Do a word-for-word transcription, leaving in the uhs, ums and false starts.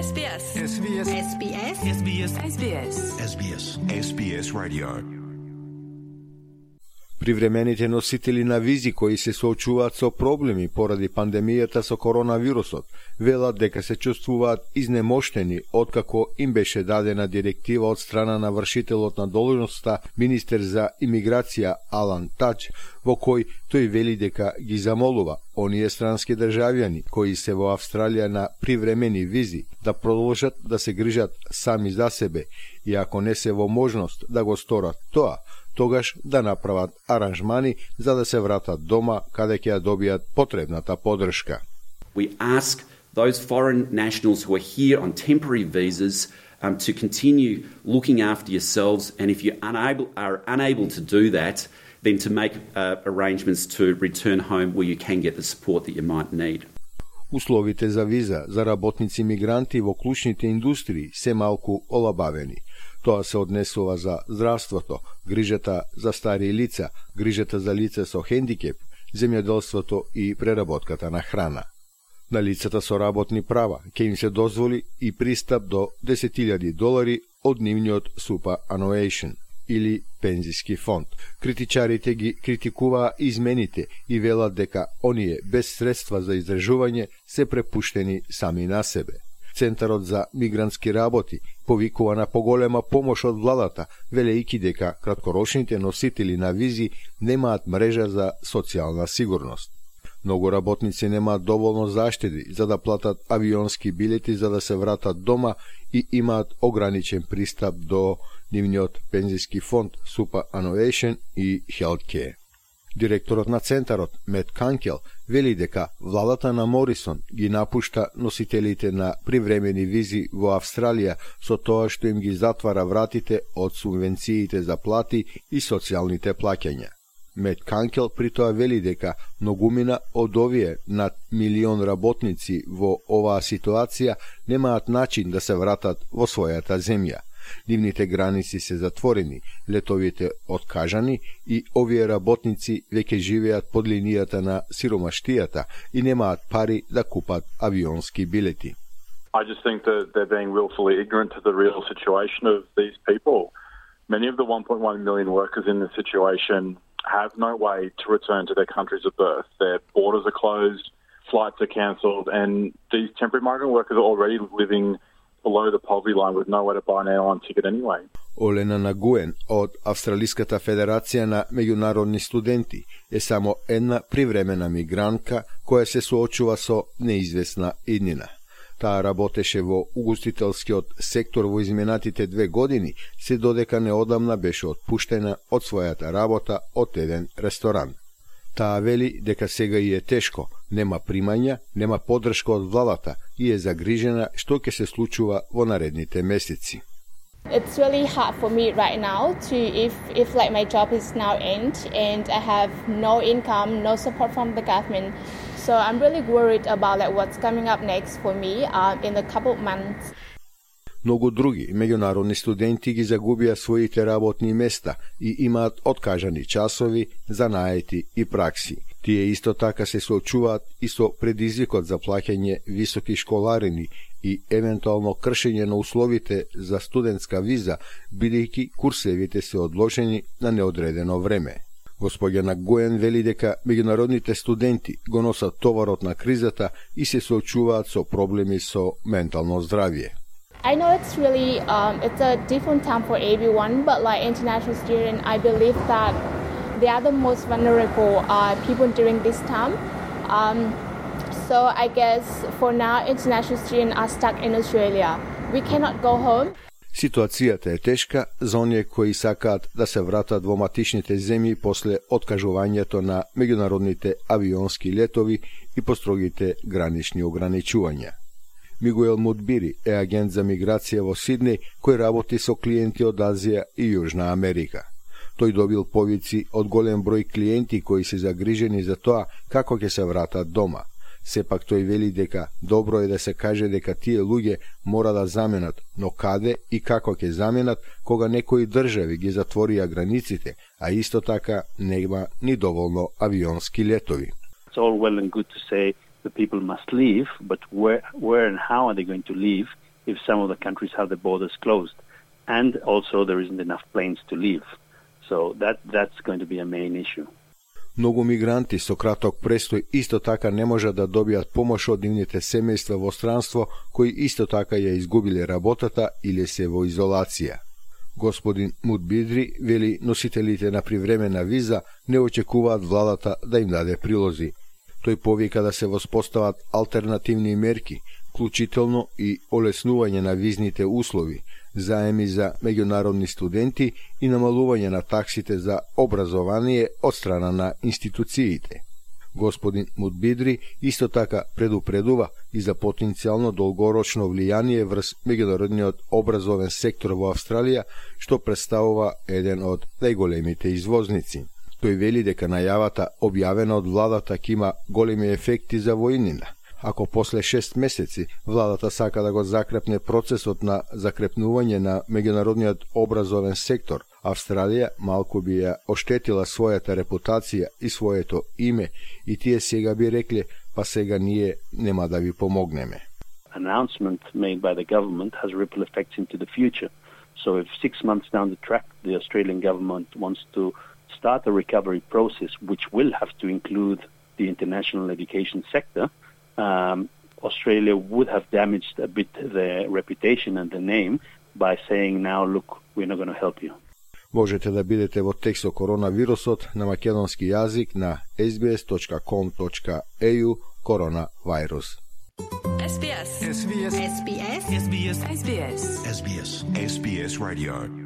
S B S. S B S. S B S. S B S. S B S. S B S. S B S Radio. Привремените носители на визи кои се соочуваат со проблеми поради пандемијата со коронавирусот, велат дека се чувствуваат изнемоштени откако им беше дадена директива од страна на вршителот на должноста министер за имиграција Алан Тач, во кој тој вели дека ги замолува оние странски државјани кои се во Австралија на привремени визи да продолжат да се грижат сами за себе и ако не се во можност да го сторат тоа, тогаш да направат аранжмани за да се вратат дома каде ќе ја добијат потребната поддршка. We ask those foreign nationals who are here on temporary visas um, to continue looking after yourselves, and if you unable, are unable to do that, then to make uh, arrangements to return home where you can get the support that you might need. Условите за виза за работници мигранти во клучните индустрии се малку олабавени. Тоа се однесува за здравството, грижата за стари лица, грижата за лица со хендикеп, земјоделството и преработката на храна. На лицата со работни права ќе им се дозволи и пристап до десет илјади долари од нивниот superannuation или пензиски фонд. Критичарите ги критикуваа измените и велат дека оние без средства за издржување се препуштени сами на себе. Центарот за мигрантски работи повикува на поголема помош од владата, велејќи дека краткорочните носители на визи немаат мрежа за социјална сигурност. Многу работници немаат доволно заштеди за да платат авионски билети за да се вратат дома и имаат ограничен пристап до нивниот пензиски фонд superannuation и healthcare. Директорот на центарот, Мет Канкел, вели дека владата на Морисон ги напушта носителите на привремени визи во Австралија со тоа што им ги затвара вратите од субвенциите за плати и социјалните плаќања. Мет Канкел при тоа вели дека многумина од овие над милион работници во оваа ситуација немаат начин да се вратат во својата земја. Нивните граници се затворени, летовите откажани и овие работници веќе живеат под линијата на сиромаштијата и немаат пари да купат авионски билети. I just think that they're being willfully ignorant to the real situation of these people. Many of the one point one million workers in this situation have no way to return to their countries of birth. Their borders are closed, flights are cancelled, and these temporary migrant workers are already living below the poverty line with nowhere to buy an airline ticket anyway. Олена Нагуен од Австралиската федерација на меѓународни студенти е само една привремена мигрантка која се соочува со неизвестна иднина. Таа работеше во угостителскиот сектор во изминатите две години, се додека неодамна беше отпуштена од својата работа од еден ресторан. Таа вели дека сега и е тешко, нема примања, нема поддршка од владата и е загрижена што ќе се случува во наредните месеци. It's really hard for me right now to if if like my job is now end and I have no income, no support from the government. So I'm really worried about like what's coming up next for me um, in a couple of months. Многу други меѓународни студенти ги загубија своите работни места и имаат откажани часови, занаети и пракси. Тие исто така се соочуваат и со предизвикот за плаќање високи школарини и евентуално кршење на условите за студентска виза, бидејќи курсевите се одложени на неодредено време. Господја Нагуен вели дека меѓународните студенти го носат товарот на кризата и се соочуваат со проблеми со ментално здравје. I know it's really um, it's a different time for everyone, but like international students, I believe that they are the most vulnerable uh, people during this time. Um, so I guess for now, international students are stuck in Australia. We cannot go home. Ситуацијата е тешка за оние кои сакаат да се вратат во матичните земји после откажувањето на меѓународните авионски летови и построгите гранични ограничувања. Мигуел Мудбири е агент за миграција во Сиднеј кој работи со клиенти од Азија и Јужна Америка. Тој добил повици од голем број клиенти кои се загрижени за тоа како ќе се вратат дома. Сепак тој вели дека добро е да се каже дека тие луѓе мора да заменат, но каде и како ќе заменат кога некои држави ги затворија границите, а исто така нема ни доволно авионски летови. It's all well and good to say the people must leave, but where, where and how are they going to leave if some of the countries have the borders closed. And also there isn't enough planes to leave. So that that's going to be a main issue. Многу мигранти со краток престој исто така не можат да добијат помош од нивните семејства во странство, кои исто така ја изгубиле работата или се во изолација. Господин Мудбидри вели носителите на привремена виза не очекуваат владата да им даде прилози. Тој повика да се воспостават алтернативни мерки, вклучително и олеснување на визните услови, заеми за меѓународни студенти и намалување на таксите за образование од страна на институциите. Господин Мудбидри исто така предупредува и за потенцијално долгорочно влијание врз меѓународниот образовен сектор во Австралија, што представува еден од најголемите извозници. Тој вели дека најавата објавена од владата ќе има големи ефекти за војнина. Ако после шест месеци владата сака да го закрепне процесот на закрепнување на меѓународниот образовен сектор, Австралија малку би ја оштетила својата репутација и своето име и тие сега би рекле, па сега ние нема да ви помогнеме. Announcement made by the government has ripple effects into the future. So if six months down the track the Australian government wants to start a recovery process which will have to include the international education sector, Um, Australia would have damaged a bit the reputation and the name by saying now, look, we're not going to help you. Можете да бидете во текст со коронавирусот на македонски јазик на ес би ес точка ком точка ей ю коронавирус. ес би ес. ес би ес. ес би ес. ес би ес. ес би ес. ес би ес Radio.